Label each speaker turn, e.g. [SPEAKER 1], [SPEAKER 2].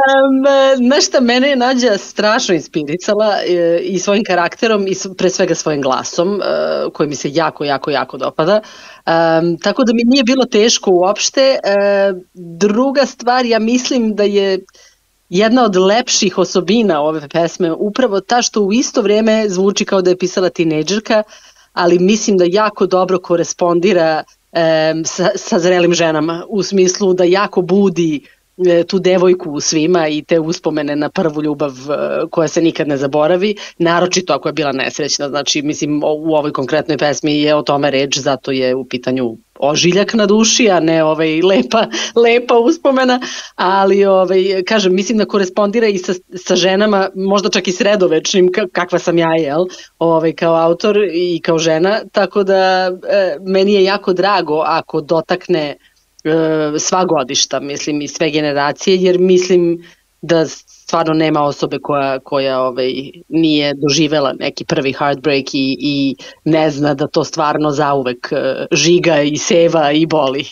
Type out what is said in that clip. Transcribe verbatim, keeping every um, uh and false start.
[SPEAKER 1] Um, znaš šta, mene je Nađa strašno inspirisala e, i svojim karakterom i s- pre svega svojim glasom, e, koji mi se jako, jako, jako dopada. Um, tako da mi nije bilo teško uopšte. E, druga stvar, ja mislim da je jedna od lepših osobina ove pesme upravo ta što u isto vrijeme zvuči kao da je pisala tinejdžerka, ali mislim da jako dobro korespondira em, sa, sa zrelim ženama, u smislu da jako budi e, tu devojku u svima i te uspomene na prvu ljubav e, koja se nikad ne zaboravi, naročito ako je bila nesrećna. Znači, mislim, o- u ovoj konkretnoj pesmi je o tome reč, zato je u pitanju ožiljak na duši, a ne ovaj lepa, lepa uspomena, ali ovaj, kažem, mislim da korespondira i sa, sa ženama, možda čak i sredovečnim, ka- kakva sam ja, jel, ovaj, kao autor i kao žena, tako da e, meni je jako drago ako dotakne e, sva godišta, mislim, i sve generacije, jer mislim da stvarno nema osobe koja, koja ovaj, nije doživela neki prvi heartbreak i, i ne zna da to stvarno zauvek e, žiga i seva i boli.